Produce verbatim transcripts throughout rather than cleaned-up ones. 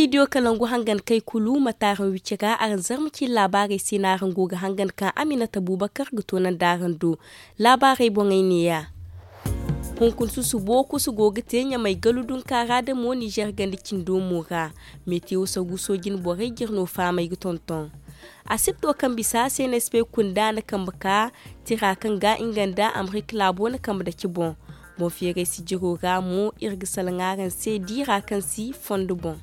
Diyo kalangu hangan kay kulu mate araŋ wicira araŋ zarma ciine laabaarey se no araŋ go ga hangan kaŋ aminata buubakar ga toonandi araŋ do. Laabaarey boŋey neeya. Hunkuna susubo kusu go ga te ɲamay galu dunka ra da mo nizer ganda cindo mo ra. Metewo sagu soojin borey jire no faamay ga tonton. Asibto kaŋ bisa cnsp kunda na kambe ka tira kaŋ ga nga nda amerika laabo na kambe dake boŋ. Boŋ feeray sijiro ra mo iri ga salaŋ araŋ se diira kaŋ si fondo boŋ.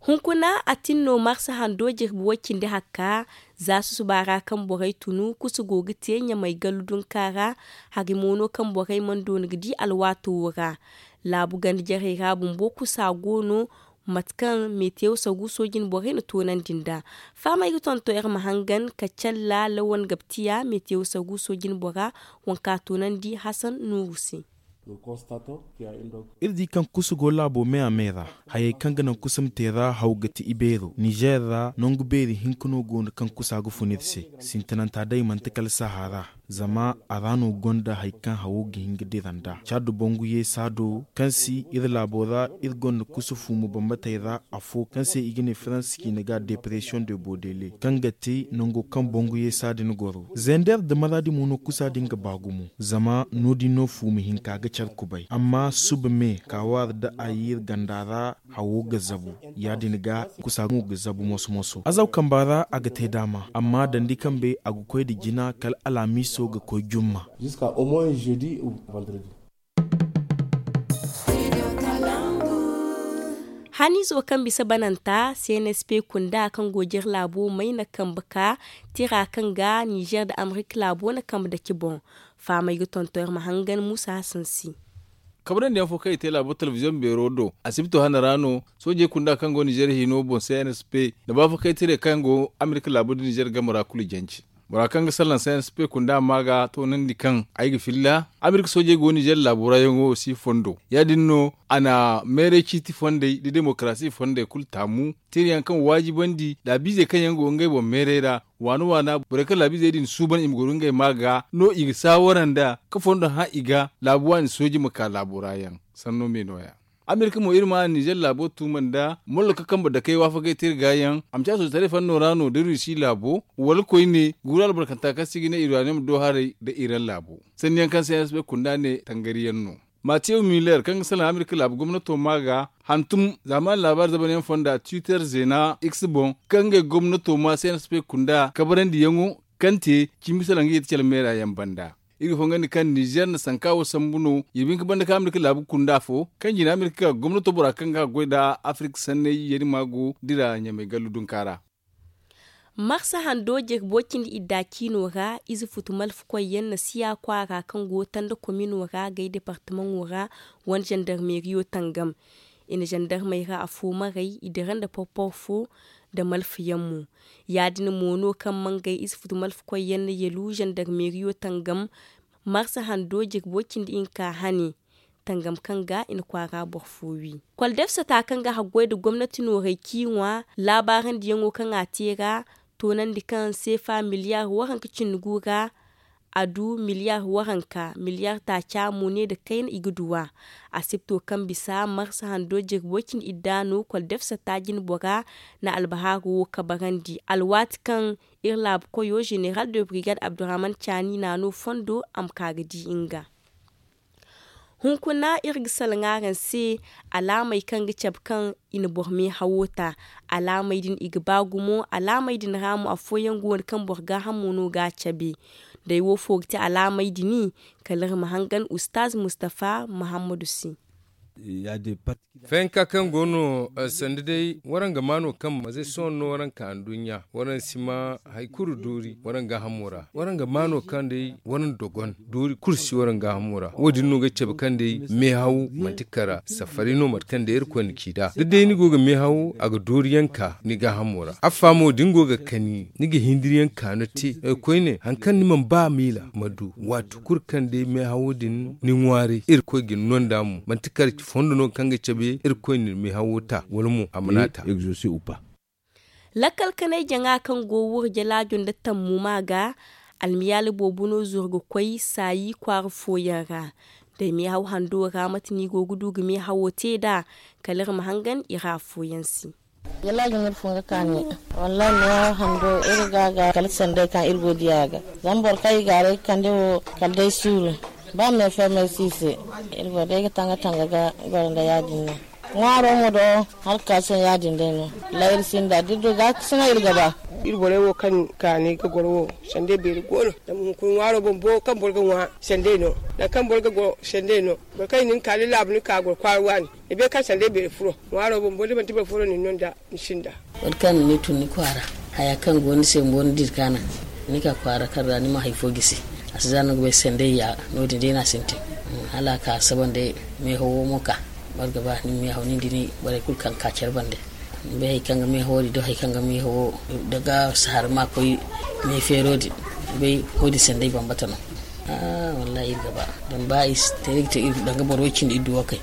Hunkuna a tin no marsa hando jirbi way cindi hakka. Za susuba ra kaŋ borey tunu kusu go ga te ɲamay gallu dunka ra. Hari mo no kaŋ borey mana doona ga di alwaato wo ra. Laabu ganda jarey ra bumbo kusa go no. Mate kaŋ metewo sagu soojin borey na toonandi nd'a. Fahamey ga tonton iri ma hangan ka calla lawan gabtiya metewo sagu soojin bora. Waŋ kaŋ a toonandi hasan nuuru se. Iri di kaŋ kusa go laabo me a me ra. Hayey kaŋ ga naŋ kusa ma te ra haw ga ti ibeero nizer ra nangu beeri hinka no go no kaŋ kusa ga fun iri se. Sintinanta day manti kala sahara. Zama a ra no gonda hari kaŋ hawo ga hin ga dira nd'a caadu bangu yeesa do kaŋ si iri laabo ra. Iri gonda kusa fuumu bambatey ra afo kaŋ se i ga ne faransa ciine ga depression de bodele kaŋ ga te nango kaŋ bangu yeesa din goro. Zender nda maraadi mo no kusa din ga ba gumo zama no- din no fuumu hinka ga care kubay amma suba me kaawaari nda ayiir ganda ra. Hawo ga zabu ya- din ga kusa mo ga zabu moso moso azaw kamba ra a ga te daama amma dandi kambe a ga koy nda jina kala alhamiiso ga koy jumma. Haniizo kaŋ bisa bananta cnsp kunda kaŋ go jere laabo may na kambe ka tira kaŋ ga nizer nda amerika laabo na kambe dake boŋ. Fahamey ga tonton iri ma hangan muusa hasan se. Kabrandi yaŋ fo kaŋ i te laabo telebiziyoŋ beero do asibito hane ra no. Soojey kunda kaŋ go nizer hino boŋ cnsp nda baafakaytaray kaŋ go amerika laabo nda nizer game ra kulu jance. Bora kaŋ ga salaŋ cnsp kunda ma ga toonandi kaŋ ay ga filla amerika soojey go nizer laabo ra yaŋo si fondo ya- din no a na meeray ciiti fondey nda demokarasi fondey kulu taamu. Tirayaŋ kaŋ waajibandi laabiizey kaŋ yaŋ go ngey boŋ meeray ra waana waana borey kaŋ laabiizey din suuban i ma goro ngey ma ga no i ga saawara nda ka fondo hã i ga laabu waani sooji ma ka laabo ra yaŋ. Sanno me nooya. Amerika mo iri ma nizer laabo tuuma nda mollo ka kambe dakey waafakey te iri ga yaŋ a ma ci a sooji taray fanno ra no da rusi laabo wala koyne guuru albarkanta kaŋ se i ga ne iraniyom do haray nda iran laabo. Sanni yaŋ kaŋ se yaŋ si bay kunda ne tangari yaŋ no. Matew miller kaŋ ga salaŋ amerika laabu gomnato ma ga hantum zaamaani laabaari zabanyaŋ fonda twitter zeena x boŋ kaŋ ngey gomnato ma se yaŋ si bay kunda kabarandi yaŋo kaŋ te cimi salaŋ ga yeti cala meera yaŋ banda. Iri ga fongandi kaŋ nizer na sanka wo sambu no. Yirbi hinka banda kaŋ amerika laabu kunda fo kaŋ jina amerika ga gomnato bora kaŋ ga goy nda afirka sanney yeri ma go dira ɲamay gallu dunka ra. Marsa hando jirbo cindi idda ciino ra ize futu malfa koyyaŋ na siya kwaara kaŋ go tanda komino ra gay departamaŋo ra wane zandarmeriyo tangam. I na zandarmey ra afo maray i dira nda porpor fo nda malfa yaŋ mo. Ya- din mo no kaŋ mangay ize futu malfa koyyaŋ na yalu zandarmeriyo tangam. Marsa hando jirbo cindi hinka hane tangam kaŋ ga i na kwaara boro fo wi. Kwaldefsata kaŋ ga haggoy nda gomnati nooray ciiŋwa laabaarandi yaŋo kaŋ a te ra toonandi kaŋ seefa miliyar waranka cindi gu ra a du miliyar waranka miliyar taaca mo ne nda kayna i ga du a. Asibto kaŋ bisa marsa hando jirbo cindi idda no kwaldefsata jinbora na albahaaro wo kabarandi alwaati kaŋ iri laabu koyo zeneral de brigade abdurrahman caani na no fondo a ma ka ga di nga. Hunkuna iri ga salaŋ araŋ se alaamey kaŋ ga cabe kaŋ i na boro meehawo ta. Alaamey din i ga ba gumo alaamey din ra mo afooyaŋ go no kaŋ boro gaahamo no ga a cabe. Day wo fo ga ti alaamey din kala iri ma hangan ustaaz mustafa muhammadu se. Fayanka kaŋ go no sanda day waraŋ ga ma no kaŋ mazey sohõ no waraŋ ka nduɲɲa waraŋ si ma hari kulu doori waraŋ gaahamo ra waraŋ ga ma no kaŋ day waraŋ dogon doori kulu si waraŋ gaahamo ra wo- din no ga cabe kaŋ day meehaw manti kara safari no mate kaŋ day irkoy na ci nd'a da day ni go ga meehaw a ga doori yaŋ ka ni gaahamo ra affa mo da ni go ga kani ni ga hindiri yaŋ ka no te. Koyne hari kaŋ ni mana ba miila ma du waati kulu kaŋ day meehawo din ni ŋwaaray irkoy ga ni no nd'a mo manti kara fondo no kaŋ ga cabe irkoy na meehawo ta wala mo a mana ta. Lakkal kanay jaŋa kaŋ go wurjalaajo nda tammu ma ga almiyaali boobo no zuru ga koy saayi kwaara fooyaŋ ra. Day meehaw hando ra mate no i go ga du ga meehawo te nd'a? Kala iri ma hangan i ra afooyaŋ se. Yalla ga ni iri fun ga kaani. Wallahi meehaw hando iri ga ga kala sanday kaŋ iri go diya ga. Zama boro kaŋ i gaaray ga kande wo kala day suuru. Ba meefe meesi i se. Iri go day ga tanga tanga ga goro nda ya- din no. Ŋwaaro mo do hala ga ka sohõ ya- din day no. Layri sinda da iri du ga sina iri ga ba. Iri borey wo kaŋ kaani ga goro wo sanday beeri go no. Zama hunkuna ŋwaaro bumbo kaŋ boro ga ŋwa sanday no. Nangu kaŋ boro ga goro sanday no. Boro kaŋ i na ni kaani laabu ni ka goro kwaara waani. Ni bay kaŋ sanday beeri furo. Ŋwaaro bumbo da manti boro furo nin no nda ni sinda. Wala kaŋ ni tun ni kwaara haya kaŋ go ni se bumbo ni dira kaana. Ni ka kwaara kaŋ ra ni ma hari fo gisi. A si za no ga bay sanday ya no- din day no a sintin. Hala a ka saba nda meehawo mo ka. Boro ga ba ni meehaw nin da ni borey kulu kaŋ ka care bande. Ni bay hari kaŋ ga meehawo din da hari kaŋ ga meehawo da ga sahar ma koy meefeero din. Ni bay wo- din sanday bambata no. Wallahi iri ga ba. Zama ba i si te ni ga te iri danga boro way- cindi iri du wo kay.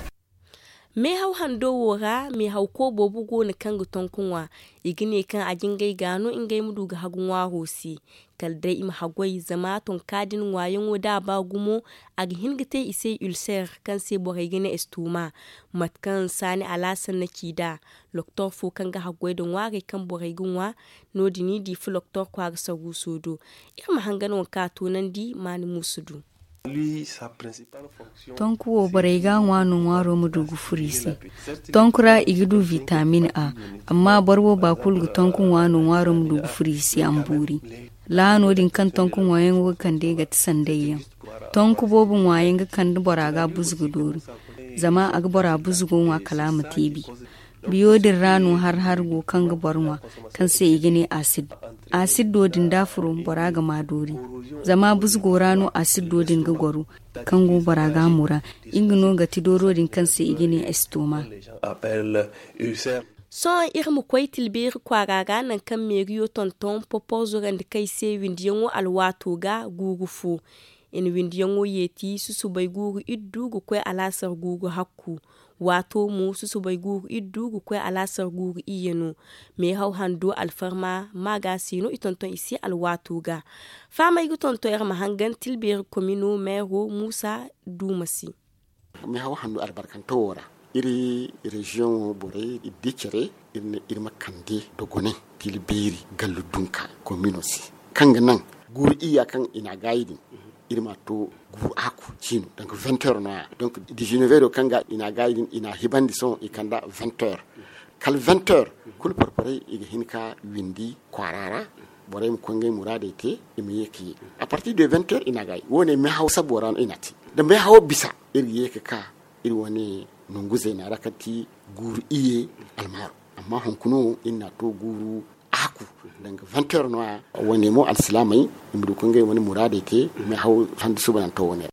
Meehaw hando wo ra meehawko boobo go no kaŋ ga tonku ŋwa. I ga ne kaŋ a jingay ga no ngey ma du ga hagu ŋwaaro se. Kala day i ma haggoy zama tonka din ŋwaayaŋo da a ba gumo, a ga hin ga te i se ulcer kaŋ se borey ga ne estoma. Mate kaŋ saani alaasan na ci nd'a, loktor fo kaŋ ga haggoy nda ŋwaarey kaŋ borey ga ŋwa. No- din i di fu loktor kwaara saruuso do. Iri ma hangan waŋ kaŋ a toonandi maani muusu du. Tonku wo borey ga a ŋwa no ŋwaaro ma du ga furo i se. Tonku ra i ga du vitamin a. Amma boro wo ba kulu ga tonku ŋwa no ŋwaaro ma du ga furo i se a ma boori. Laano din kaŋ tonku ŋwaayaŋo ga kande ga ti sanday yaŋ. Tonku boobo ŋwaayaŋ ga kande bora ga buzu ga doori. Zama a ga bora buzu go ŋwa kala a ma te bi. Biyo din ra no har har go kaŋ ga boro ŋwa, kaŋ se i ga ne asid. Asid do din da furo bora ga ma doori. Zama buzugo ra no asid do din ga goro, kaŋ go bora ga a mura. Nga no ga ti dooro din kaŋ se i ga ne estoma. Sohõ iri ma koy tilbeeri kwaara ra nangu kaŋ meeriyo tonton poporzo randi kay se windiyaŋo alwaato ga guuru fo. I na windiyaŋo yeeti susubay guuru iddu ga koy alaasar guuru hakku. Waato mo susubay guuru iddu ga koy alaasar guuru iyye no. Meehaw hando alfarma maaga se no i tonton i se alwaato ga. Fahamay ga tonton iri ma hangan tilbeeri komino meero muusa duuma se. Meehaw hando albarkanto wo ra iri reziyoŋo borey iri di care iri ne iri ma kande dogonay tilbeeri gallu dunka komino se kaŋ ga naŋ guuru iyya kaŋ i n'a gaayi din. Iri ma to guuru a ku ciino donc vingt heures no- ya donc dizinevero kaŋ ga i n'a gaayi din i n'a hibandi sohõ i kanda vingt heures. Kala vingt heures kulu porporey i ga hin ka windi kwaara ra. Borey ma koy ngey muraadey te i ma ye ka ye. A partir de vingt heures i n'a gaayi wo- ne meehaw sabo ra no i n'a te. Da meehawo bisa iri ga ye ka ka iri wane nangu zeena ra kaŋ ti guuru iyye almaaro. Amma hunkuna wo iri n'a to guuru a ku danga vingt heures no- ya. Wo- ne mo alsilaamey i ma du ka ngey wane muraadey te. Meehaw handi suubananto wo- ne ra.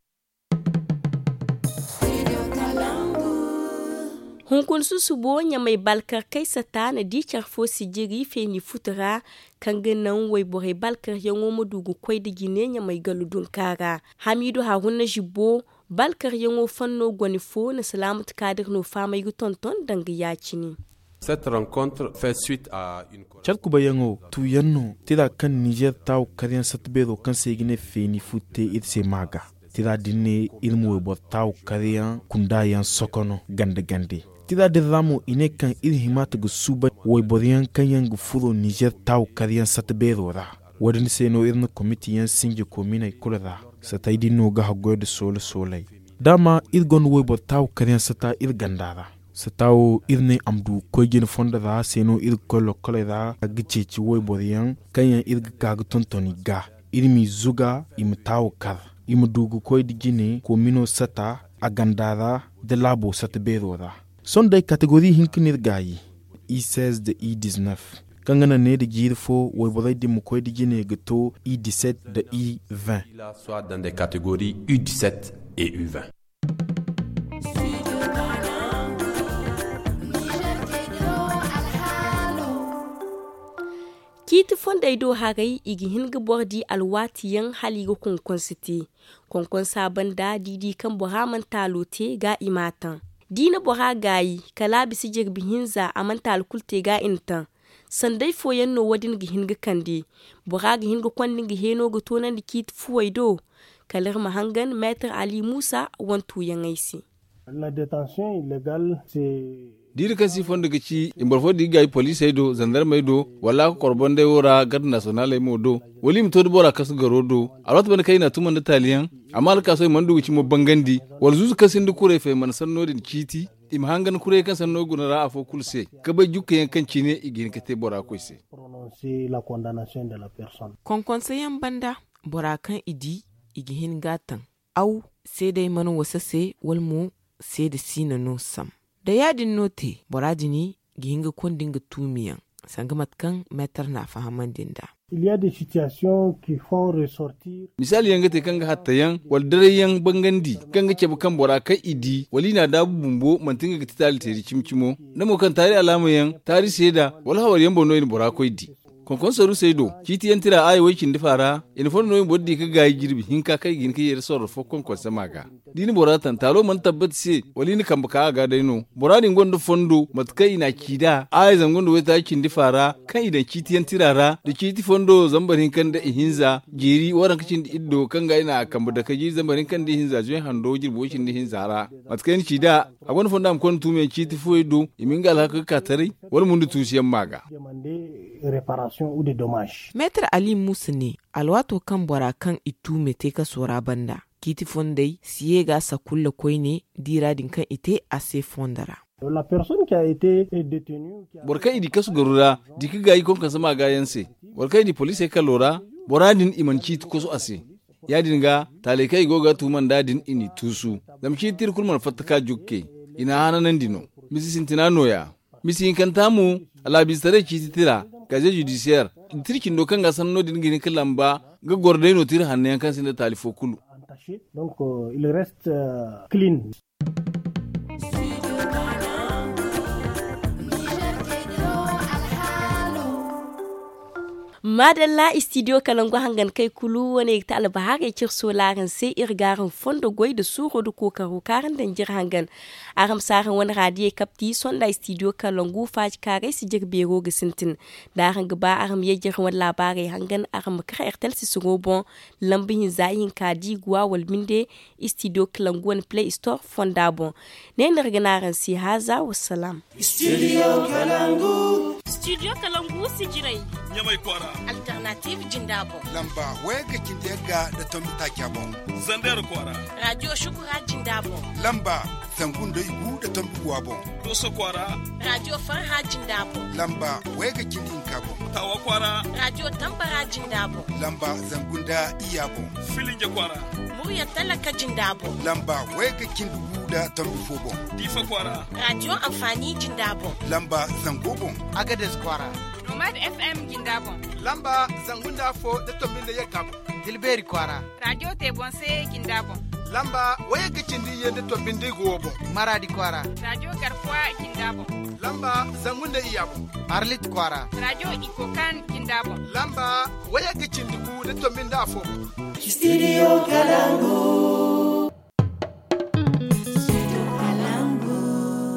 Hunkuna susubo ɲamay balkar kay sata na di care fo sijiri feeni futu ra, kaŋ ga naŋ wayborey balkaryaŋo ma du ga koy nda jine ɲamay gallu dunka ra. Hamiidu haruna zibbo balkaryaŋo fanno gone fo na salaamatu kaadir no faamay ga tonton danga ya- cine. Care kubayyaŋo tuuyaŋ no tira kaŋ nizer taawu karyaŋ satta beero kaŋ se i ga ne feeni fu te iri se ma ga. Tira din ne iri ma wayboro taawu karyaŋ kunda yaŋ sokono gande gande. Tira din ra mo i ne kaŋ iri hima ta ga suuban wayboro yaŋ kaŋ yaŋ ga furo nizer taawu karyaŋ satta beero ra. Wo- din se no iri na komiti yaŋ sinji kominey kulu ra. Satay din no ga haggoy nda soola soolay. Daama iri gonda wayboro taawu karyaŋ sata iri ganda ra. Sata wo iri ne a ma du ga koy jine fondo ra se no iri ga koy lokkoley ra ga ceeci wayboro yaŋ kaŋ yaŋ iri ga ka ga tonton i ga. Iri m'i zuga i ma taawu kar, i ma du ga koy nda jine komino sata a ganda ra nda laabo sata beero ra. Sohõ day kategori hinka no iri gaayi. I seize nda i dix-neuf kaŋ ga naŋ ne nda jiiri fo wayborey din ma koy nda jine ga to i dix-sept nda i vingt. Ciiti fondey do haray i ga hin ga boro di alwaati yaŋ hala i ga konkonse te. Konkonsa banda da i di kaŋ bora mana taalo te ga i m'a taŋ. Da i na bora gaayi kala a bisa jirbi hinza a mana taalo kulu te ga i na taŋ. Sanday fooyaŋ no wo- din ga hin ga kande. Bora ga hin ga konda nga heeno ga toonandi ciiti fuwey do. kala iri ma hangan meetar ali muusa wantu yaŋ ay se. Diiri kaŋ si fondo ga ci i ma boro fo di ga gaayi poliisey do zandarmey do wala a ga korbandey wo ra garde nasiyonaaley mo do, wala i ma to da bora kasu garo do. Alwaati banda kaŋ i n'a tuma nda taali yaŋ, amma alkaaso i mana du ga cimo bangandi, wala zuuzu kaŋ sinda kuray fay mana sanno din ciiti. I ma hangan kuray kaŋ sanno guna ra afo kulu se, ka bay jukka yaŋ kaŋ cine i ga hin ka te bora koy se. Konkonse yaŋ banda, bora kaŋ i di i ga hin ga a taŋ, aw seedey mana wasa se wala mo seede siina no sam. Da ya- din no te, bora din ga hin ga konda nga tuumi yaŋ, sanga mate kaŋ meetar n'a fahamandi nd'a. Misaali yaŋ ga te kaŋ ga hatta yaŋ wala daray yaŋ bangandi, kaŋ ga cabe kaŋ bora kaŋ i di wala i n'a daabu bumbo manti nga ga ti taali teeri cimi-cimo, nda mo kaŋ taari alaama yaŋ, taari seeda, wala hawar yaŋ boŋ no i na bora koy di. Konkonse rusey do, ciiti yaŋ tira aaya way cindi fa ra, i na fondo no i ma boro di ka gaayi jirbi hinka kaŋ i ga hin ka yeeri sorro fo konkonse ma ga. Da i na bora taŋ taalo mana tabbati se, wala i na kambe ka a ga day no, bora din gonda fondo mate kaŋ i n'a ci nd'a aaya zangu nda waytaaci cindi fa ra, kaŋ i daŋ ciiti yaŋ tira ra nda ciiti fondo zambar hinka nda ihinza jeeri waranka cindi iddo kaŋ ga i na a kambe dake jiiri zambar hinka nda ihinza zuway hando jirbi way cindi hinza ra. Mate kaŋ i na ci nd'a, a gonda fondo a ma konda tuumiyaŋ ciiti fooyey do, i ma nga alhaka ga ka taray, wala mo nda tuusu yaŋ ma ga. Meetar ali muusa ne, alwaato kaŋ bora kaŋ i tuume te kaso ra banda, ciiti fondey si ye ga sakulla koyne diira din kaŋ i te a se fondo ra. Boro kaŋ i di kasu garu ra di ka gaayi konkonse ma ga yaŋ se, boro kaŋ i di poliisey kalo ra, bora din i mana ciiti kosu a se. Ya- din ga taaley kaŋ i go ga tuuma nd'a din i n'i tuusu, zama ciiti tira kulu mana fatta ka jukke, i n'a hananandi no. Misi sintina nooya, misi hinkanta mo, alaabiize taray ciiti tira, gaze judisiyeer, da tira cindo kaŋ ga sanno din ga hin ka lamba, ga goro day no tira hanno yaŋ kaŋ sinda taali fo kulu. Maadalla istidiyo kalangu hangan kay kulu wane ga ti albahaarey cire sola araŋ se iri ga araŋ fondo goy nda suuro nda kookaro kaŋ araŋ daŋ jire hangan. Araŋ ma si araŋ wane raadiyey kapti sonda istidiyo kalangu faaji kaaray si jire beero ga sintin. Da araŋ ga ba araŋ ma ye jire wane laabaarey hangan araŋ ma kar ertel sisiro boŋ, lamba hinza ihinka da i ga wa wala binde. Istidiyo kalangu wane play store fonda boŋ. Ne no iri ga ne araŋ se haaza wa salaam. Istidiyo kalangu. Istidiyo kalangu sijirey. Ɲamay kwaara. Alternative jinda boŋ. Lamba wayga cindi yagga nda tombi taaca boŋ. Zander kwaara. Raadiyo shukura jinda boŋ. Lamba zangu nda igu nda tombi guwa boŋ. Dooso kwaara. Raadiyo farha jinda boŋ. Lamba wayga cindi hinka boŋ. Tawa kwaara. Raadiyo tambara jinda boŋ. Lamba zangu nda iyya boŋ. Filinje kwaara. Murya talaka jinda boŋ. Lamba wayga cindi gu nda tombi fo boŋ. Diifa kwaara. Raadiyo anfaani jinda boŋ. Lamba zango boŋ. Agades kwaara. Nomad fm jinda boŋ. Lamba zangu nda afo nda tombi nda yagga boŋ. Tilbeeri kwaara. Raadiyo te boŋ se jinda boŋ. Lamba wayagga cindi iyye nda tombi nda igu wo boŋ. Maraadi kwaara. Raadiyo garkuwa jinda boŋ. Lamba zangu nda iyya boŋ. Arlit kwaara. Raadiyo ikokan jinda boŋ. Lamba wayagga cindi gu nda tombi nda afo boŋ. Istidiyo kalangu.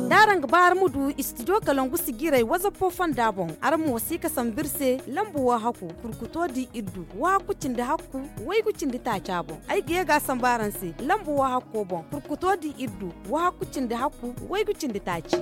Da araŋ ga ba araŋ ma du istidiyo kalangu sijirey wazappo fonda boŋ, araŋ ma wasi ka sambu iri se lamba wo hakku kurkuto di iddu, wahakku cindi hakku waygu cindi taaca boŋ. Ay ga ye ga a sambu araŋ se lamba wo hakko boŋ kurkuto di iddu, wahakku cindi hakku waygu cindi taaci.